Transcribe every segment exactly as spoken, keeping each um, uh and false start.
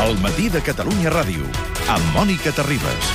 El matí de Catalunya Ràdio, amb Mònica Terribas.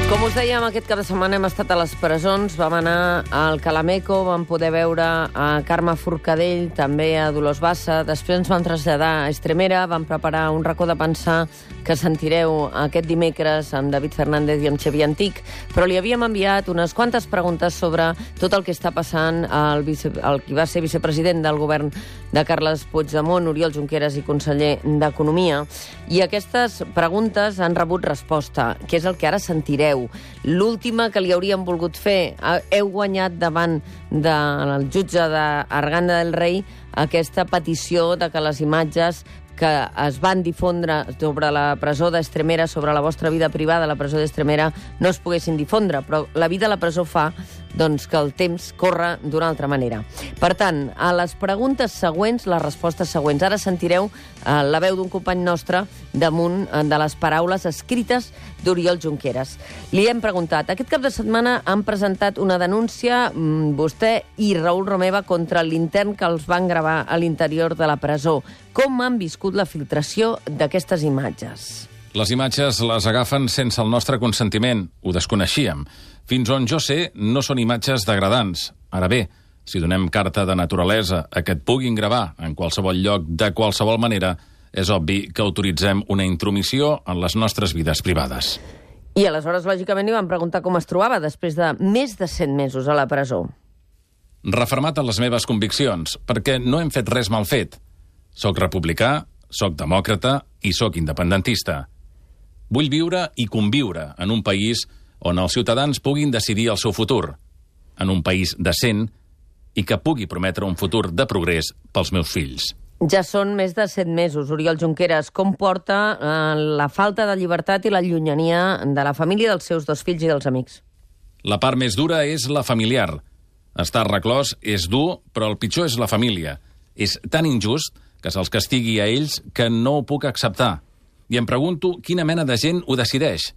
Com us dèiem, aquest cap de setmana hem estat a les presons, vam anar al Calameco, vam poder veure a Carme Forcadell, també a Dolors Bassa, després ens vam traslladar a Estremera, vam preparar un racó de pensar que sentireu aquest dimecres amb David Fernández i amb Xavier Antic, però li havíem enviat unes quantes preguntes sobre tot el que està passant al, vice, al qui va ser vicepresident del govern de Carles Puigdemont, Oriol Junqueras i conseller d'Economia, i aquestes preguntes han rebut resposta, que és el que ara sentireu. L'última que li hauríem volgut fer. Heu guanyat davant del jutge d'Arganda del Rei aquesta petició de que les imatges que es van difondre sobre la presó d'Estremera, sobre la vostra vida privada a la presó d'Estremera, no es poguessin difondre, però la vida a la presó fa doncs, que el temps corre d'una altra manera. Per tant, a les preguntes següents, les respostes següents. Ara sentireu eh, la veu d'un company nostre damunt eh, de les paraules escrites d'Oriol Junqueras. Li hem preguntat, aquest cap de setmana han presentat una denúncia, mmm, vostè i Raül Romeva, contra l'intern que els van gravar a l'interior de la presó. Com han viscut la filtració d'aquestes imatges? Les imatges les agafen sense el nostre consentiment. Ho desconeixíem. Fins on jo sé, no són imatges degradants. Ara bé, si donem carta de naturalesa a que et puguin gravar en qualsevol lloc de qualsevol manera, és obvi que autoritzem una intromissió en les nostres vides privades. I aleshores, lògicament, li van preguntar com es trobava després de més de cent mesos a la presó. Refermat en les meves conviccions, perquè no hem fet res mal fet. Soc republicà, soc demòcrata i soc independentista. Vull viure i conviure en un país on els ciutadans puguin decidir el seu futur, en un país decent i que pugui prometre un futur de progrés pels meus fills. Ja són més de set mesos, Oriol Junqueras. Com porta eh, la falta de llibertat i la llunyania de la família, dels seus dos fills i dels amics? La part més dura és la familiar. Estar reclòs és dur, però el pitjor és la família. És tan injust que se'ls castigui a ells que no ho puc acceptar. I em pregunto quina mena de gent ho decideix.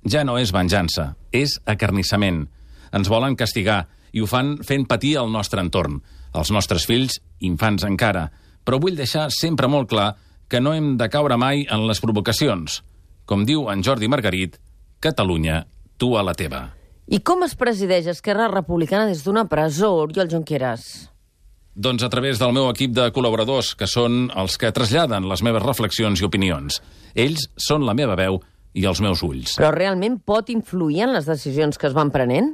Ja no és venjança, és acarnissament. Ens volen castigar i ho fan fent patir el nostre entorn, els nostres fills, infants encara. Però vull deixar sempre molt clar que no hem de caure mai en les provocacions. Com diu en Jordi Margarit, Catalunya, tu a la teva. I com es presideix Esquerra Republicana des d'una presó, Oriol Junqueras? Doncs a través del meu equip de col·laboradors, que són els que traslladen les meves reflexions i opinions. Ells són la meva veu i els meus ulls. Però realment pot influir en les decisions que es van prenent?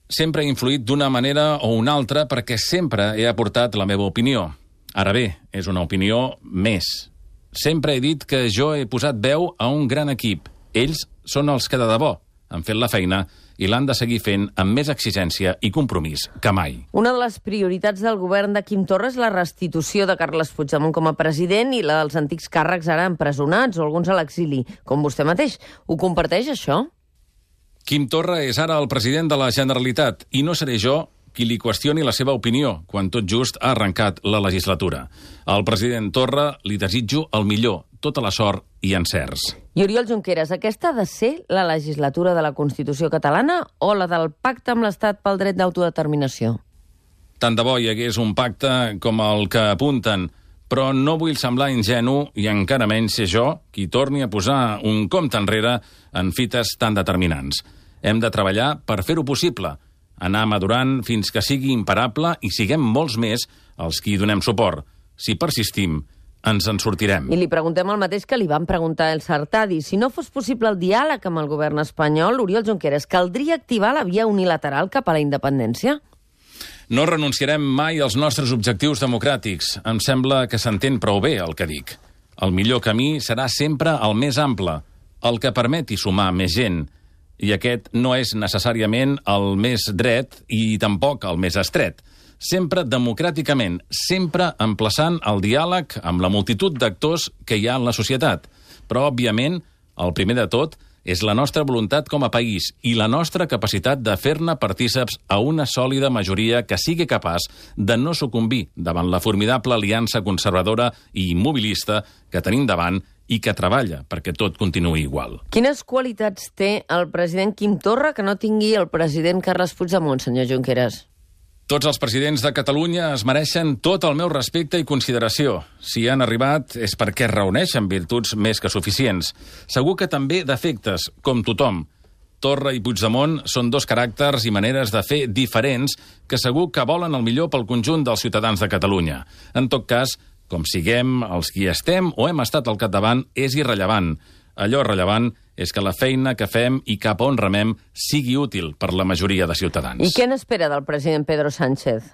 Sempre he influït d'una manera o una altra perquè sempre he aportat la meva opinió. Ara bé, és una opinió més. Sempre he dit que jo he posat veu a un gran equip. Ells són els que de debò han fet la feina i l'han de seguir fent amb més exigència i compromís que mai. Una de les prioritats del govern de Quim Torra és la restitució de Carles Puigdemont com a president i la dels antics càrrecs ara empresonats o alguns a l'exili, com vostè mateix. Ho comparteix, això? Quim Torra és ara el president de la Generalitat i no seré jo qui li qüestioni la seva opinió quan tot just ha arrencat la legislatura. Al president Torra li desitjo el millor, tota la sort i encerts. I Oriol Junqueras, aquesta ha de ser la legislatura de la Constitució catalana o la del pacte amb l'Estat pel dret d'autodeterminació? Tant de bo hi hagués un pacte com el que apunten, però no vull semblar ingenu i encara menys ser jo qui torni a posar un compte enrere en fites tan determinants. Hem de treballar per fer-ho possible, anar madurant fins que sigui imparable i siguem molts més els qui hi donem suport. Si persistim, ens en sortirem. I li preguntem el mateix que li van preguntar el Sartadi. Si no fos possible el diàleg amb el govern espanyol, Oriol Junqueras, caldria activar la via unilateral cap a la independència? No renunciarem mai als nostres objectius democràtics. Em sembla que s'entén prou bé el que dic. El millor camí serà sempre el més ample, el que permeti sumar més gent. I aquest no és necessàriament el més dret i tampoc el més estret. Sempre democràticament, sempre emplaçant el diàleg amb la multitud d'actors que hi ha en la societat. Però, òbviament, el primer de tot és la nostra voluntat com a país i la nostra capacitat de fer-ne partíceps a una sòlida majoria que sigui capaç de no sucumbir davant la formidable aliança conservadora i immobilista que tenim davant i que treballa perquè tot continuï igual. Quines qualitats té el president Quim Torra que no tingui el president Carles Puigdemont, senyor Junqueras? Tots els presidents de Catalunya es mereixen tot el meu respecte i consideració. Si han arribat és perquè reuneixen virtuts més que suficients. Segur que també defectes, com tothom. Torra i Puigdemont són dos caràcters i maneres de fer diferents que segur que volen el millor pel conjunt dels ciutadans de Catalunya. En tot cas, com siguem els qui estem o hem estat al capdavant, és irrellevant. Allò rellevant és que la feina que fem i cap on remem sigui útil per la majoria de ciutadans. I què n'espera del president Pedro Sánchez?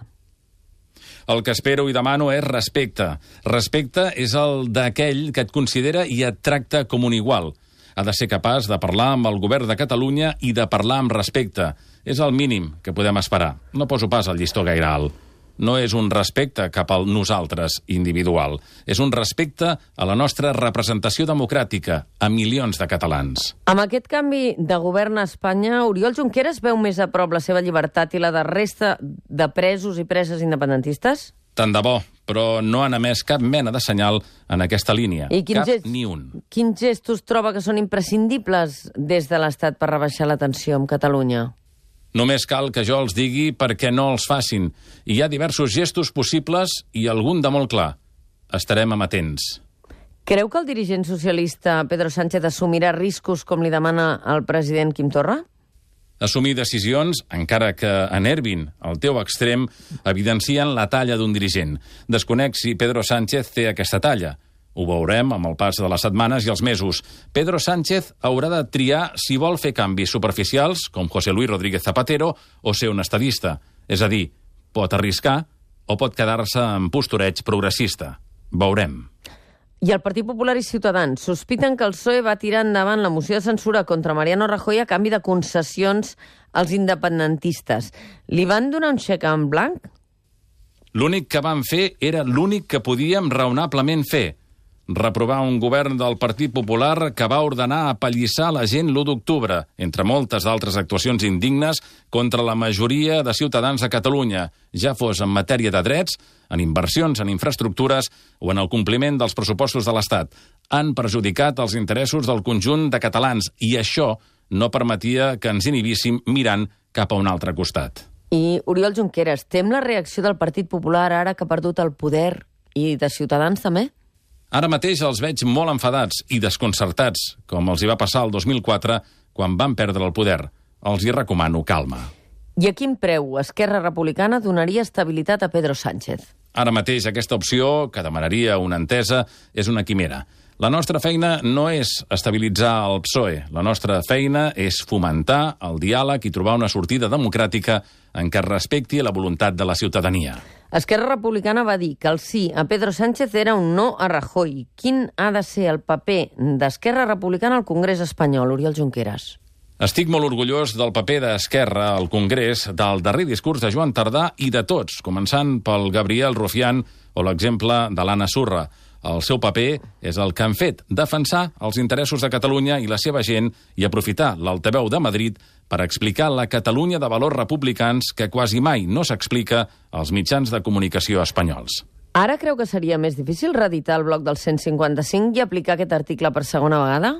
El que espero i demano és respecte. Respecte és el d'aquell que et considera i et tracta com un igual. Ha de ser capaç de parlar amb el govern de Catalunya i de parlar amb respecte. És el mínim que podem esperar. No poso pas el llistó gaire alt. No és un respecte cap al nosaltres individual. És un respecte a la nostra representació democràtica, a milions de catalans. Amb aquest canvi de govern a Espanya, Oriol Junqueras veu més a prop la seva llibertat i la de resta de presos i preses independentistes? Tant de bo, però no han emès cap mena de senyal en aquesta línia. I quins cap gest... ni un. Quins gestos troba que són imprescindibles des de l'Estat per rebaixar la tensió amb Catalunya? Només cal que jo els digui perquè no els facin. I hi ha diversos gestos possibles i algun de molt clar. Estarem amatents. Creu que el dirigent socialista Pedro Sánchez assumirà riscos com li demana el president Quim Torra? Assumir decisions, encara que enervin al teu extrem, evidencien la talla d'un dirigent. Desconec si Pedro Sánchez té aquesta talla. Ho veurem amb el pas de les setmanes i els mesos. Pedro Sánchez haurà de triar si vol fer canvis superficials, com José Luis Rodríguez Zapatero, o ser un estadista. És a dir, pot arriscar o pot quedar-se en postureig progressista. Veurem. I el Partit Popular i Ciutadans sospiten que el P S O E va tirar endavant la moció de censura contra Mariano Rajoy a canvi de concessions als independentistes. Li van donar un xec en blanc? L'únic que van fer era l'únic que podíem raonablement fer. Reprovar un govern del Partit Popular que va ordenar apallissar la gent l'u d'octubre, entre moltes altres actuacions indignes contra la majoria de ciutadans de Catalunya, ja fos en matèria de drets, en inversions, en infraestructures o en el compliment dels pressupostos de l'Estat. Han perjudicat els interessos del conjunt de catalans i això no permetia que ens inhibíssim mirant cap a un altre costat. I, Oriol Junqueras, tem la reacció del Partit Popular ara que ha perdut el poder i de Ciutadans també? Ara mateix els veig molt enfadats i desconcertats, com els hi va passar el dos mil quatre, quan van perdre el poder. Els hi recomano calma. I a quin preu Esquerra Republicana donaria estabilitat a Pedro Sánchez? Ara mateix aquesta opció, que demanaria una entesa, és una quimera. La nostra feina no és estabilitzar el P S O E. La nostra feina és fomentar el diàleg i trobar una sortida democràtica en què respecti la voluntat de la ciutadania. Esquerra Republicana va dir que el sí a Pedro Sánchez era un no a Rajoy. Quin ha de ser el paper d'Esquerra Republicana al Congrés espanyol, Oriol Junqueras? Estic molt orgullós del paper d'Esquerra al Congrés, del darrer discurs de Joan Tardà i de tots, començant pel Gabriel Rufián o l'exemple de l'Anna Surra. El seu paper és el que han fet, defensar els interessos de Catalunya i la seva gent i aprofitar l'altaveu de Madrid per explicar la Catalunya de valors republicans que quasi mai no s'explica als mitjans de comunicació espanyols. Ara creu que seria més difícil reeditar el bloc del cent cinquanta-cinc i aplicar aquest article per segona vegada?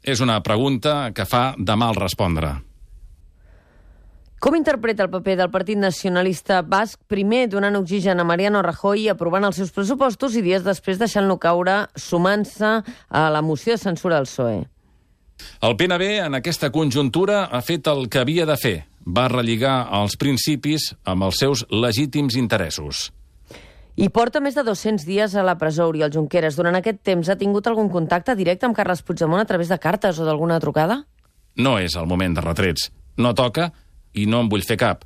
És una pregunta que fa de mal respondre. Com interpreta el paper del Partit Nacionalista Basc, primer donant oxigen a Mariano Rajoy i aprovant els seus pressupostos i dies després deixant-lo caure sumant-se a la moció de censura del P S O E? El P N B en aquesta conjuntura ha fet el que havia de fer. Va relligar els principis amb els seus legítims interessos. I porta més de dos-cents dies a la presó, Oriol Junqueras. Durant aquest temps ha tingut algun contacte directe amb Carles Puigdemont a través de cartes o d'alguna trucada? No és el moment de retrets. No toca i no en vull fer cap.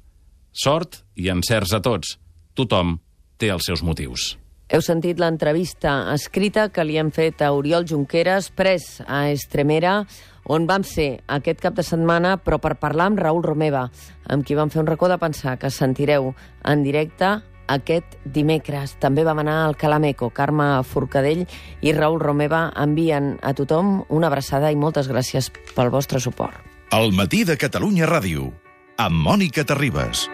Sort i encerts a tots. Tothom té els seus motius. Heu sentit l'entrevista escrita que li hem fet a Oriol Junqueras, pres a Estremera, on vam ser aquest cap de setmana, però per parlar amb Raül Romeva, amb qui vam fer un racó de pensar que sentireu en directe aquest dimecres. També vam anar al Calameco. Carme Forcadell i Raül Romeva envien a tothom una abraçada i moltes gràcies pel vostre suport. El matí de Catalunya Ràdio, amb Mònica Terribas.